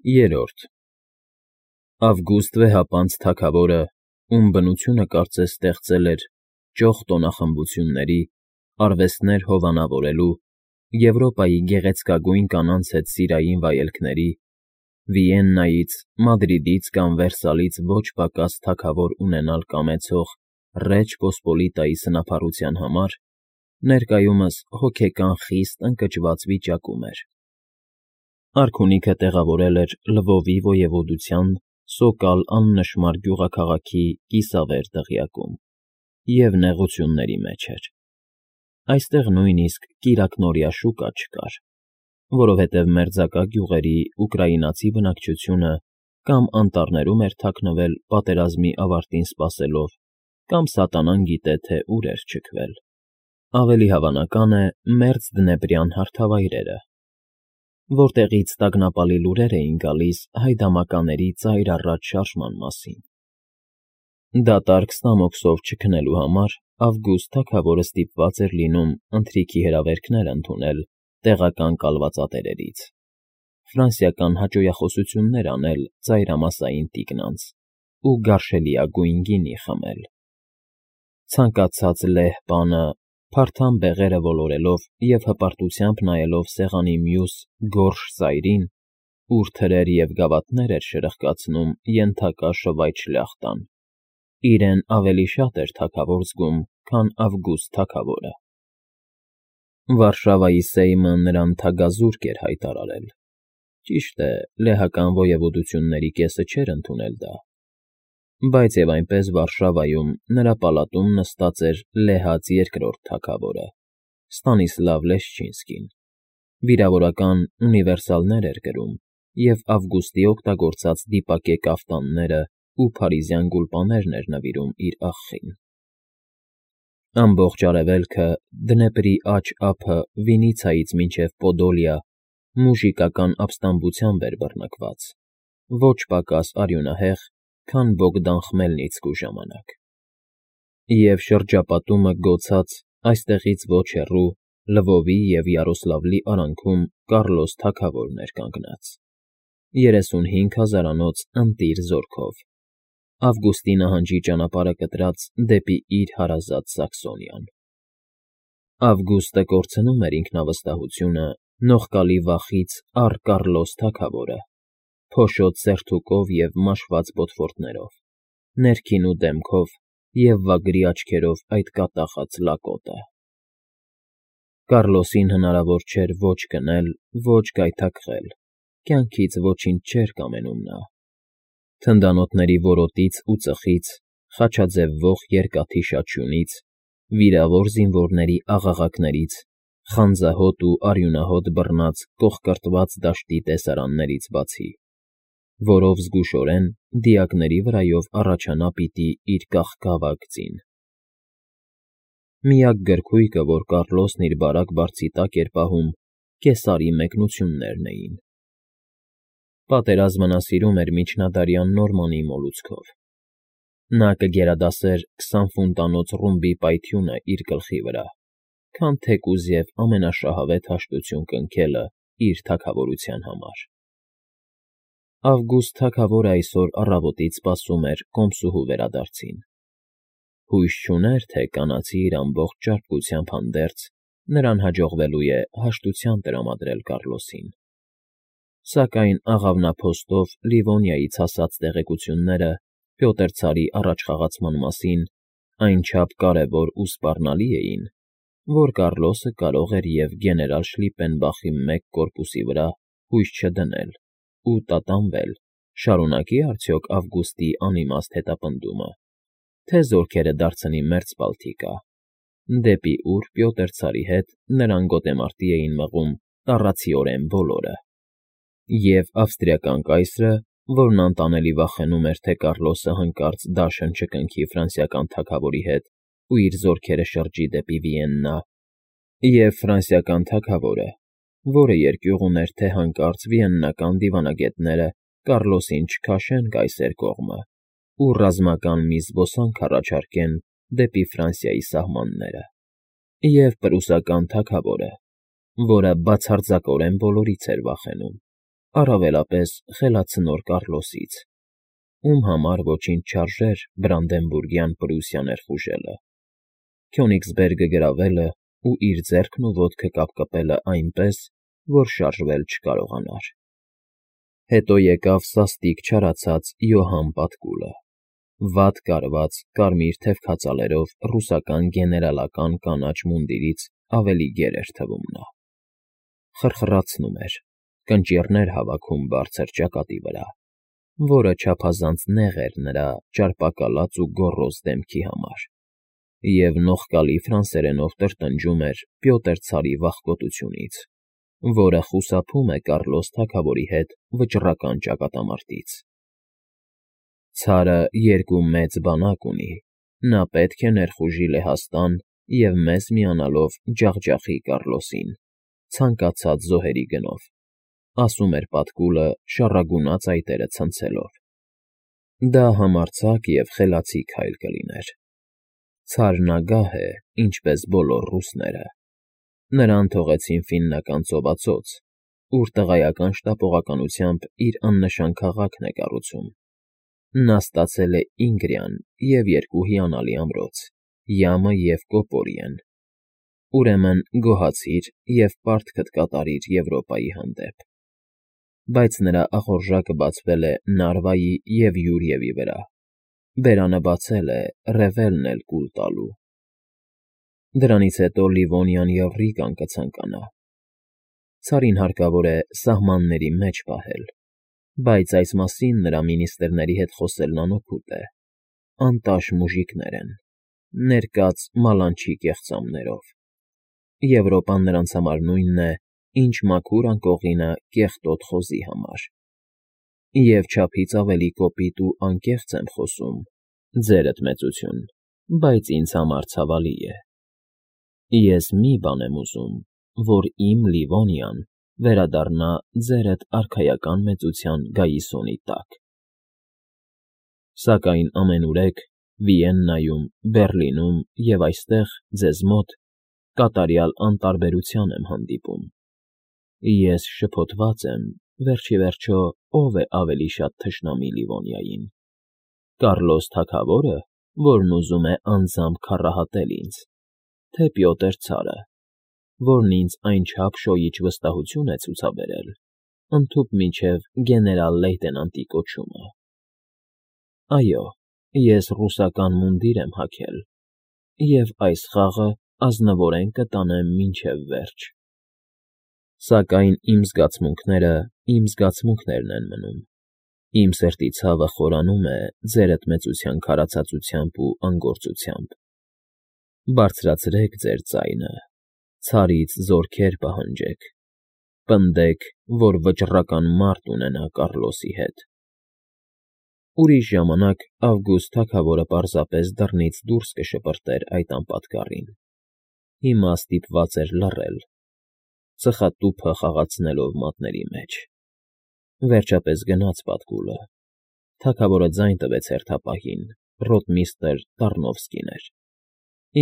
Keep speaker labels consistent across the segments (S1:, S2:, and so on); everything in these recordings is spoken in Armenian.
S1: Երրորդ Ավգուստ վեհապանծ թագավորը, ում բնությունը կարծես ստեղծել էր ճոխ տոնախմբությունների, արվեստներ հովանավորելու, Եվրոպայի գեղեցկագույն կանանց հետ սիրային վայելքների, Վիեննայից, Մադրիդից կամ Վերսալից ոչ պակաս թագավոր ունենալ կամեցող Ռեջ Պոսպոլիտայի սնափառության համար, ներկայումս հոգեկան խիստ ընկճված վիճակում էր։ Արքունիքը տեղավորել էր Լվովի ոևոդության Սոկալ աննշմար գյուղաքաղաքի կիսավեր դղյակում և նեղությունների մեջ էր։ Այստեղ նույնիսկ կիրակնօրյա շուկա չկար, որովհետև մերձակա գյուղերի ուկրաինացի բնակչությունը կամ անտառներում էր թաքնվել պատերազմի ավարտին սպասելով, կամ սատանան գիտե, թե ուր էր չքվել։ Ավելի հավանական է մերձ դնեպրյան հարթավայրերը, որտեղից տագնապալի լուրեր էին գալիս հայդամականների ծայր առատ շարժման մասին։ Դատարկ ստամոքսով չքնելու համար Ավգուստ թագավորը ստիպված էր լինում ընթրիքի հրավերքներ ընդունել տեղական կալվածատերերից, ֆրանսիական հաճոյախոսություններ անել ծայրամասային տիկնանց ու գարշելիագույն գինի խմել։ Ցանկացած լեհ բանը, փարթամ բեղերը ոլորելով և հպարտությամբ նայելով սեղանի մյուս գորշ ծայրին, ուր թրեր և գավաթներ էր շրխկացնում ենթակա շվայտ շլյախտան, իրեն ավելի շատ էր թագավոր զգում, քան Ավգուստ թագավորը։ Վարշավայի Սեյմը նրան թագազուրկ էր հայտարարել։ Ճիշտ է, լեհական ոևոդությունների կեսը չէր ընդունել դա, բայց և այնպես Վարշավայում նրա պալատում նստած էր լեհած երկրորդ թագավորը՝ Ստանիսլավ Լեշչինսկին, վիրավորական ունիվերսալներ էր գրում և Ավգուստի օգտագործած դիպակե կաֆտանները ու փարիզյան գուլպաներն էր նվիրում իր աղջին։ Ամբողջ արևելքը, Դնեպրի աջ ափը Վինիցիայից մինչև Պոդոլիա մուժիկական ապստամբությամբ էր բռնկված, ոչ պակաս արյունահեղ, քան Բոգդան Խմելնիցկու ժամանակ։ Եվ շրջապատումը գոցած, այստեղից ոչ հեռու, Լվովի և Յարոսլավլի արանքում Կառլոս թագավորն էր կանգնած, 35 հազարանոց ընտիր զորքով, Ավգուստի նահանջի ճանապարհը կտրած դեպի իր հարազատ Սաքսոնիան։ Ավգուստը կորցնում էր ինքնավստահությունը նողկալի վախից առ Կառլոս թագավորը, փոշոտ սերթուկով և մաշված բոթվորտներով, ներքին ու դեմքով և վագրի աչքերով այդ կատաղած լակոտը։ Կառլոսին հնարավոր չէր ոչ քնել, ոչ գայթակղել, կյանքից ոչինչ չէր կամենում նա։ Թնդանոթների որոտից ու ծխից, խաչաձևվող երկաթի շաչյունից, վիրավոր զինվորների աղաղակներից, խանձահոտ ու արյունահոտ բռնած կոխկրտված դաշտի տեսարաններից բացի, որով զգուշորեն դիակների վրայով առաջանա պիտի իր կաղկավակ ձին։ Միակ գրքույկը, որ Կառլոսն իր բարակ բարձի տակ էր պահում, կեսարի մեկնություններն էին։ Պատերազմը նա սիրում էր միջնադարյան Նորմանի մոլուցքով։ Նա կգերադասեր 20 ֆունտանոց ռումբի պայթյունը իր գլխի վրա, քան թեկուզ և ամենաշահավետ հաշտություն կնքելը իր թագավորության համար։ Ավգուստ թագավորը այսօր առավոտից սպասում էր կոմսուհու վերադարձին։ Հույս չուներ, թե կանացի իր ամբողջ ճարպկությամբ հանդերձ նրան հաջողվելու է հաշտության տրամադրել Կառլոսին։ Սակայն աղավնափոստով Լիվոնիայից հասած տեղեկությունները Պյոտր ցարի առաջխաղացման մասին այնչափ կարևոր ու սպառնալի էին, որ Կառլոսը կարող էր և գեներալ Շլիպպենբախի մեկ կորպուսի վրա հույս չդնել ու տատանվել, շարունակի՞ արդյոք Ավգուստի անիմաստ հետապնդումը, թե զորքերը դարձնի մերձ Բալթիկա, դեպի ուր Պյոտր ցարի հետ նրան գոտեմարտի էին մղում տառացիորեն բոլորը, և ավստրիական կայսրը, որն անտանելի վախենում էր, թե Կառլոսը հանկարծ դաշն չկնքի ֆրանսիական թագավորի հետ ու իր զորքերը շրջի դեպի Վիեննա, և ֆրանսիական թագավորը, որը երկյուղ ուներ, թե հանկարծ վիեննական դիվանագետները Կառլոսին չքաշեն կայսեր կողմը ու ռազմական մի զբոսանք առաջարկեն դեպի Ֆրանսիայի սահմանները, և պրուսական թագավորը, որը բացարձակորեն բոլորից էր վախենում, առավելապես խելացնոր Կառլոսից, ում համար ոչինչ չարժեր Բրանդենբուրգյան Պրուսիա ներխուժելը, Քյոնիգսբերգը գրավելը ու իր ձեռքն ու ոտքը կապկպելը այնպես, որ շարժվել չկարողանար։ Հետո եկավ սաստիկ չարացած Յոհան Պատկուլը, վատ կարված կարմիր թևքածալերով ռուսական գեներալական կանաչ մունդիրից ավելի գեր էր թվում նա։ Խրխրացնում էր, կնճիռներ հավաքում բարձր ճակատի վրա, որը չափազանց նեղ էր նրա ճարպակալած ու գոռոզ դեմքի համար, և նողկալի ֆրանսերենով տրտնջում էր Պյոտր ցարի վախկոտությունից, որը խուսափում է Կառլոս թագավորի հետ վճռական ճակատամարտից։ Ցարը երկու մեծ բանակ ունի, նա պետք է ներխուժի Լեհաստան և մեզ միանալով ջախջախի Կառլոսին, ցանկացած զոհերի գնով, ասում էր Պատկուլը շառագունած այտերը ցնցելով։ Դա համարձակ և խելացի քայլ կլիներ։ Ցարն ագահ է, ինչպես բոլոր ռուսները։ Նրան թողեցին Ֆիննական ծովածոց, ուր տղայական շտապողականությամբ իր աննշան քաղաքն է կառուցում։ Նա ստացել է Ինգրիան և երկու հիանալի ամրոց՝ Յամը և Կոպորիեն։ Ուրեմն գոհացիր և պարտքդ կատարիր Եվրոպայի հանդեպ։ Բայց նրա ախորժակը բացվել է Նարվայի և Յուրիևի վրա, բերանը բացել է Ռևելն էլ կուլ տալու։ Դրանից հետո Լիվոնիան և Ռիգան կցանկանա։ Ցարին հարկավոր է սահմանների մեջ պահել, բայց այս մասին նրա մինիստրների հետ խոսելն անօգուտ է, անտաշ մուժիկներ են, ներկած մալանչի կեղծամներով։ Եվրոպան նրանց համար նույնն է, ինչ մաքուր անկողինը կեղտոտ խոզի համար։ Եվ չափից ավելի կոպիտ ու անկեղծ եմ խոսում, ձերդ մեծություն, բայց ինձ համար ցավալի է։ Ես մի բան եմ ուզում, որ իմ Լիվոնիան վերադառնա ձերդ արքայական մեծության գայիսոնի տակ։ Սակայն ամենուրեք Վիեննայում, Բեռլինում և այստեղ, ձեզ մոտ, կատարյալ անտարբերության եմ հանդիպում։ Ես շփոթված եմ, վերջ ի վերջո, ով է ավելի շատ թշնամի Լիվոնիային՝ Կառլոս թագավորը, որն ուզում է անձամբ քառահատել ինձ, թե Պյոտր ցարը, որն ինձ այնչափ շոյիչ վստահություն է ցուցաբերել, ընդհուպ մինչև գեներալ֊լեյտենանտի կոչումը։ Այո, ես ռուսական մունդիր եմ հագել, և այս խաղը ազնվորեն կտանեմ մինչև վերջ։ Սակայն իմ զգացմունքներն են մնում։ Իմ սրտի ցավը խորանում է ձերդ մեծության քարացածությամբ ու անգործությամբ։ Բարձրացրեք ձեր ձայնը, ցարից զորքեր պահանջեք, պնդեք, որ վճռական մարտ ունենա Կառլոսի հետ։ Ուրիշ ժամանակ Ավգուստ թագավորը պարզապես դռնից դուրս կշպրտեր այդ անպատկառին։ Հիմա ստիպված էր լռել, ծխատուփը խաղացնելով մատների մեջ։ Վերջապես գնաց Պատկուլը։ Թագավորը ձայն տվեց հերթապահին, ռոտմիստրը Տարնովսկին էր,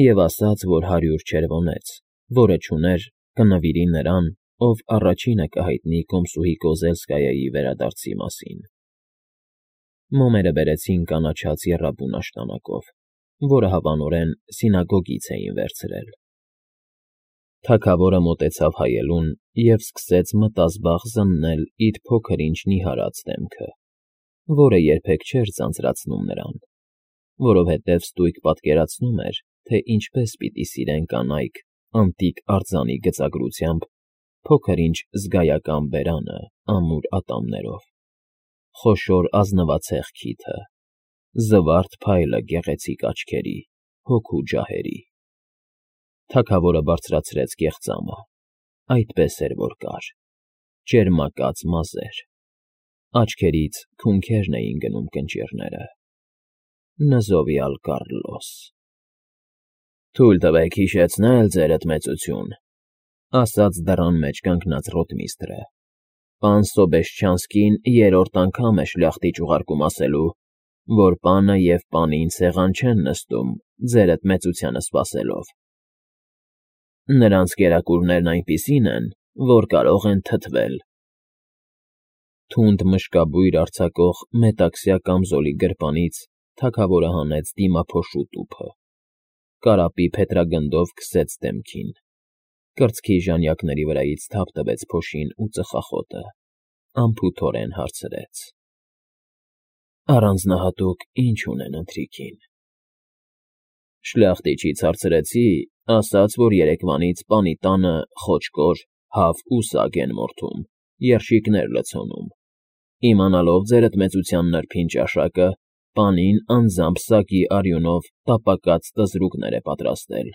S1: և ասաց, որ 100 չերվոնեց, որը չուներ, կնվիրի նրան, ով առաջինը կհայտնի կոմսուհի Կոզելսկայայի վերադարձի մասին։ Մոմերը բերեցին կանաչած եռաբուն աշտանակով, որը հավանորեն սինագոգից էին վերցրել։ Թագավորը մոտեցավ հայելուն և սկսեց մտազբաղ զննել իր փոքր-ինչ նիհարած դեմքը, որը երբեք չէր ձանձրացնում նրան, որովհետև ստույգ պատկերացնում էր, թե ինչպես պիտի սիրեն կանայք անտիկ արձանի գծագրությամբ փոքր-ինչ զգայական բերանը ամուր ատամներով, խոշոր ազնվածեղ քիթը, զվարթ փայլը գեղեցիկ աչքերի, հոգու ջահերի։ Թագավորը բարձրացրեց կեղծամը, այդպես էր, որ կար, ճերմակած մազեր, աչքերից քունքերն էին գնում կնճիռները։ Նզովյալ Կառլոս։ Թույլ տվեք հիշեցնել, ձերդ մեծություն, ասաց դռան մեջ կանգնած ռոտմիստրը։ Պան Սոբեշչյանսկին երրորդ անգամ է շլախտիչ ուղարկում ասելու, որ պանը և պանին սեղան չեն նստում, ձերդ մեծությանը սպասելով։ Նրանց կերակուրներն այնպիսին են, որ կարող են թթվել։ Թունդ մշկաբույր արձակող մետաքսյա կամզոլի գրպանից թագավորը հանեց դիմափոշու տուփը, կարապի փետրագնդով քսեց դեմքին, կրծքի ժանյակների վրայից թափ տվեց փոշին ու ծխախոտը, անփութորեն հարցրեց. «Առանձնահատուկ ինչ ունեն ընթրիքին»։ Շլախտիչից հարցրեցի, ասաց, որ երեկվանից պանի տանը խոճկոր, հավ ու սագ են մորթում, երշիկներ լցոնում։ Իմանալով ձերդ մեծության նրբին ճաշակը, պանին անձամբ սագի արյունով տապակած տզրուկներ է պատրաստել։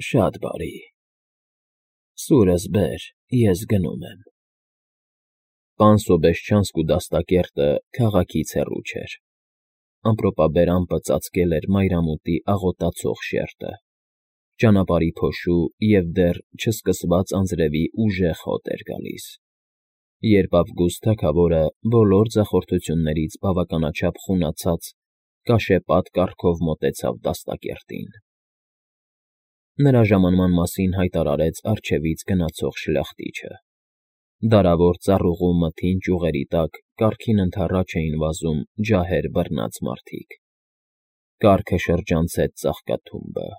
S1: Շատ բարի։ Սուրս բեր, ես գնում եմ։ Պան Սոբեշչանսկու դաստակերտը քաղաքից հեռու չէր։ Ամպրոպաբեր ամպը ծածկել էր մայրամուտի աղոտացող շերտը, ճանապարհի փոշու և դեռ չսկսված անձրևի ուժեղ հոտ էր գալիս, երբ Ավգուստ թագավորը բոլոր ձախորդություններից բավականաչափ խունացած կաշեպատ կառքով մոտեցավ դաստակերտին։ Նրա ժամանման մասին հայտարարեց առջևից գնացող շլախտիչը։ Դարավոր ծառուղու մթին ճյուղերի տակ կառքին ընդառաջ էին վազում ջահեր բռնած մարդիկ։ Կառքը շրջանցեց ծաղկաթումբը,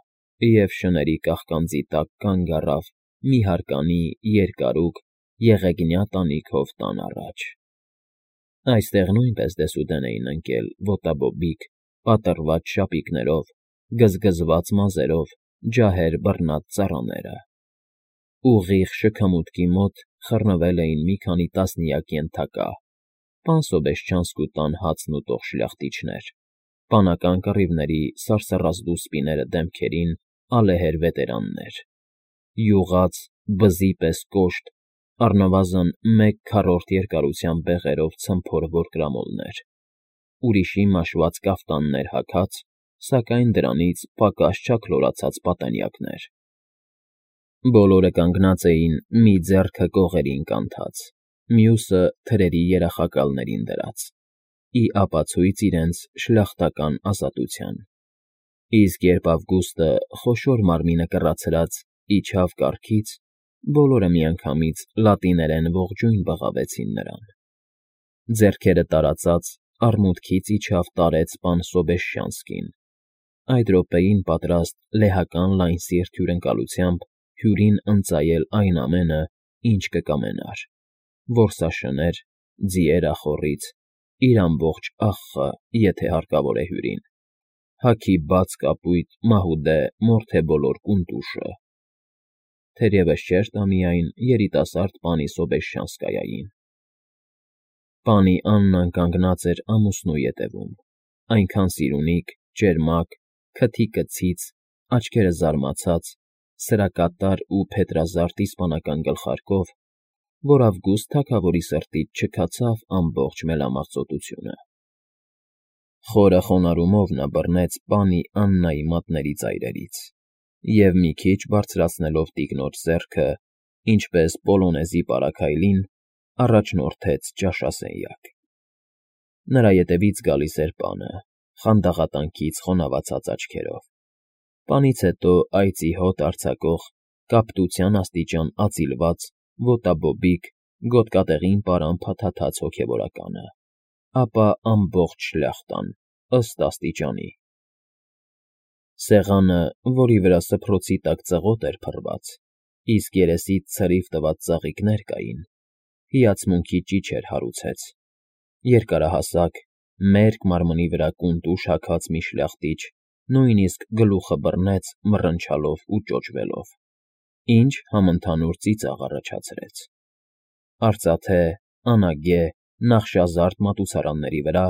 S1: և շների կաղկանձի տակ կանգ առավ մի հարկանի երկարուկ եղեգնյա տանիքով տան առաջ։ Այստեղ նույնպես դեսուդեն էին ընկել ոտաբոբիկ, պատռված շապիկներով, գզգզված մազերով ջահեր բռնած ծառաները։ Ուղիղ շքամուտքի մոտ խռնվել էին մի քանի տասնյակ ենթակա, պան Սոբեշչանսկու տան հացն ուտող շլախտիչներ, պանական կռիվների սարսռած դուսպիները դեմքերին ալեհեր վետերաններ, յուղած, բզի պես կոշտ, առնվազն 1/4 երկարությամբ բեղերով ցմփոր որկրամոլներ, ուրիշի մաշված կաֆտաններ հագած, սակայն դրանից պակաս չաքլորացած պատանյակներ։ Բոլորը կանգնած էին մի ձեռքը կողերին կանթած, մյուսը թրերի երախակալներին դրած, ի ապացույց իրենց շլախտական ազատության։ Իսկ երբ Ավգուստը խոշոր մարմինը կռացրած իջավ կառքից, բոլորը միանգամից լատիներեն ողջույն բղավեցին նրան։ Ձեռքերը տարածած արմունկից իջավ տարեց պան Սոբեշչանսկին, այդ րոպեին պատրաստ լեհական լայն սիրտ հյուրընկալությամբ հյուրին ընծայել այն ամենը, ինչ կկամենար, որսաշներ, ձիեր ախոռից, իր ամբողջ աղխը, եթե հարկավոր է հյուրին, հագի բաց կապույտ մահուդե մորթե բոլոր կունտուշը, թերևս չէր տա միայն երիտասարդ պանի Սոբեշչանսկայային։ Պանի Աննան կանգնած էր ամուսնու ետևում, այնքան սիրունիկ, ճերմակ, քթի կցից, աչքերը զարմացած, սրակատար ու փետրազարդ իսպանական գլխարկով, որ Ավգուստ թագավորի սրտից չքացավ ամբողջ մելամաղձոտությունը։ Խորը խոնարհումով նա բռնեց պանի Աննայի մատների ծայրերից և մի քիչ բարձրացնելով տիկնոջ ձեռքը, ինչպես պոլոնեզի պարագայլին, առաջնորդեց ճաշասենյակ։ Նրա ետևից գալիս էր պանը, խանդաղատանքից խոնավացած աչքերով։ Պանից հետո այծի հոտ արձակող, կապտության աստիճան ածիլված, ոտաբոբիկ, գոտկատեղին պարան փաթաթած հոգևորականը, ապա ամբողջ շլախտան, ըստ աստիճանի։ Սեղանը, որի վրա սփռոցի տակ ծղոտ էր փռված, իսկ երեսից ցրիվ տված ծաղիկներ կային, հիացմունքի ճիչեր հարուցեց։ Երկարահասակ, մերկ մարմնի վրա կունտուշ հագած մի շլախտիչ նույնիսկ գլուխը բռնեց մռնչալով ու ճոճվելով, ինչ համընդհանուր ծիծաղ առաջացրեց։ Արծաթե, անագե, նախշազարդ մատուցարանների վրա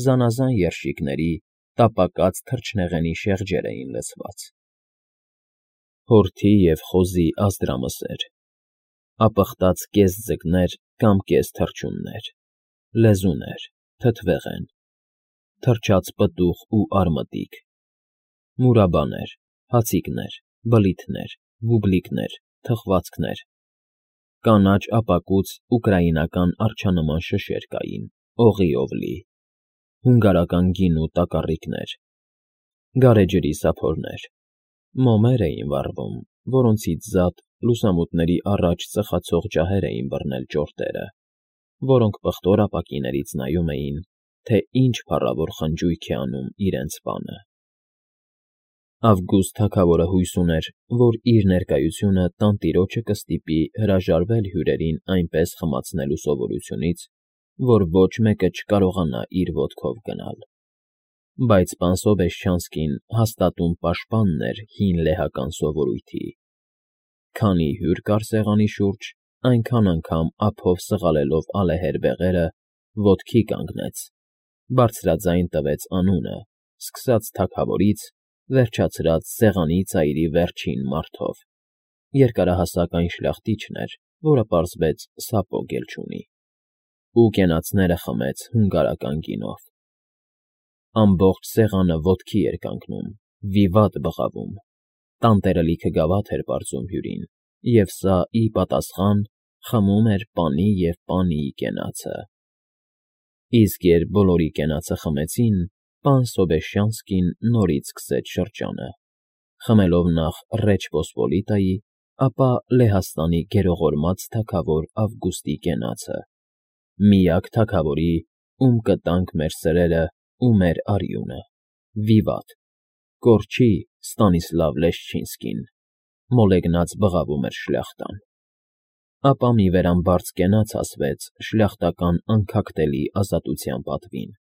S1: զանազան երշիկների, տապակած թռչնեղենի շեղջեր էին լցված։ Հորթի և խոզի ազդրամսեր, ապխտած կես ձկներ կամ կես թռչուններ, լեզուներ, թթվեղեն, թռչած պտուղ ու արմատիկ, մուրաբաներ, հացիկներ, բլիթներ, բուբլիկներ, թխվածքներ, կանաչ ապակուց ուկրաինական արջանման շշեր կային, օղիով լի, հունգարական գինու տակառիկներ, գարեջրի սափորներ, մոմեր էին վառվում, որոնցից զատ լուսամուտների առաջ ծխացող ջահեր էին բռնել ճորտերը, որոնք պղտոր ապակիներից նայում էին, թե ինչ փառավոր խնջույք է անում իրենց պանը։ Ավգուստ թագավորը հույս ուներ, որ իր ներկայությունը տանտիրոջը կստիպի հրաժարվել հյուրերին այնպես խմացնելու սովորությունից, որ ոչ մեկը չկարողանա իր ոտքով գնալ։ Բայց պան Սոբեշչանսկին հաստատուն պաշտպանն էր հին լեհական սովորույթի. քանի հյուր կար սեղանի շուրջ, այնքան անգամ ափով սղալելով ալեհեր բեղերը, ոտքի կանգնեց, բարձրաձայն տվեց անունը, սկսած թագավորից, վերջացրած սեղանի ծայրի վերջին մարդով, երկարահասակ այն շլախտիչն էր, որը պարզվեց սապոգ էլ չունի, ու կենացները խմեց հունգարական գինով։ Ամբողջ սեղանը ոտքի էր կանգնում, վիվատ բղավում, տանտերը լիքը գավաթ էր պարզում հյուրին, և սա, ի պատասխան, խմում էր պանի և պանիի կենացը։ Իսկ երբ բոլորի կենացը խմեցին, պան Սոբեշչանսկին նորից սկսեց շրջանը, խմելով նախ Ռեչ Պոսպոլիտայի, ապա Լեհաստանի գերողորմած թագավոր Ավգուստի կենացը, միակ թագավորի, ում կտանք մեր սրերը ու մեր արյունը, վիվատ, կորչի Ստանիսլավ Լեշչինսկին, մոլեգնած բղավում էր շլյախտան։ Ապա մի վերամբարձ կենաց ասվեց շլյախտական անքակտելի ազատության պատվին։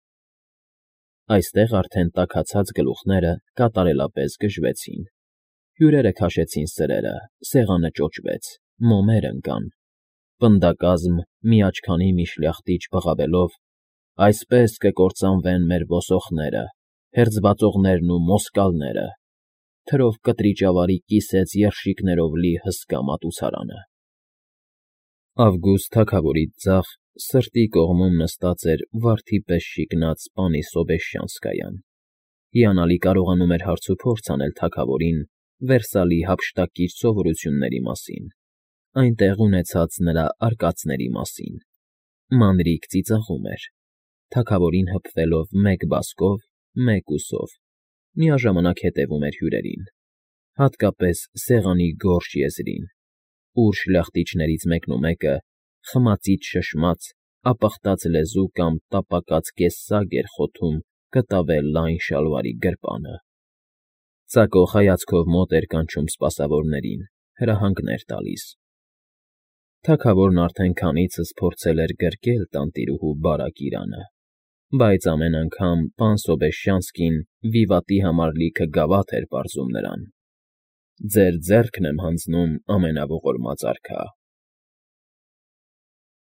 S1: Այստեղ արդեն տաքացած գլուխները կատարելապես գժվեցին, հյուրերը քաշեցին սրերը, սեղանը ճոճվեց, մոմեր ընկան, պնդակազմ միաչքանի մի շլյախտիչ բղավելով. «Այսպես կկործանվեն մեր ոսոխները, հերձվածողներն ու մոսկալները», թրով կտրիճավարի կիսեց երշիկներով լի հսկա մատուցարանը։ Ավգուստ թագավորից ձախ, սրտի կողմում նստած էր վարդի պես շիկնած պանի Սոբեշչյանսկայան, հիանալի կարողանում էր հարցուփորձ անել թագավորին Վերսալի հափշտակիչ սովորությունների մասին, այնտեղ ունեցած նրա արկածների մասին, մանրիկ ծիծաղում էր, թագավորին հպվելով մեկ բազկով, մեկ ուսով, միաժամանակ հետևում էր հյուրերին, հատկապես սեղանի գորշ եզրին, ուր շլախտիչներից մեկնումեկը, խմածից շշմած, ապխտած լեզու կամ տապակած կեսսագ էր խոթում կտավե լայն շալվարի գրպանը։ Ծակող հայացքով մոտ էր կանչում սպասավորներին, հրահանգներ տալիս։ Թագավորն արդեն քանիցս փորձել էր գրկել տանտիրուհու բարակ իրանը, բայց ամեն անգամ պան Սոբեշչյանսկին վիվատի համար լիքը գավաթ էր պարզում նրան. «Ձեր ձեռքն եմ հանձնում, ամենաողորմած արքա,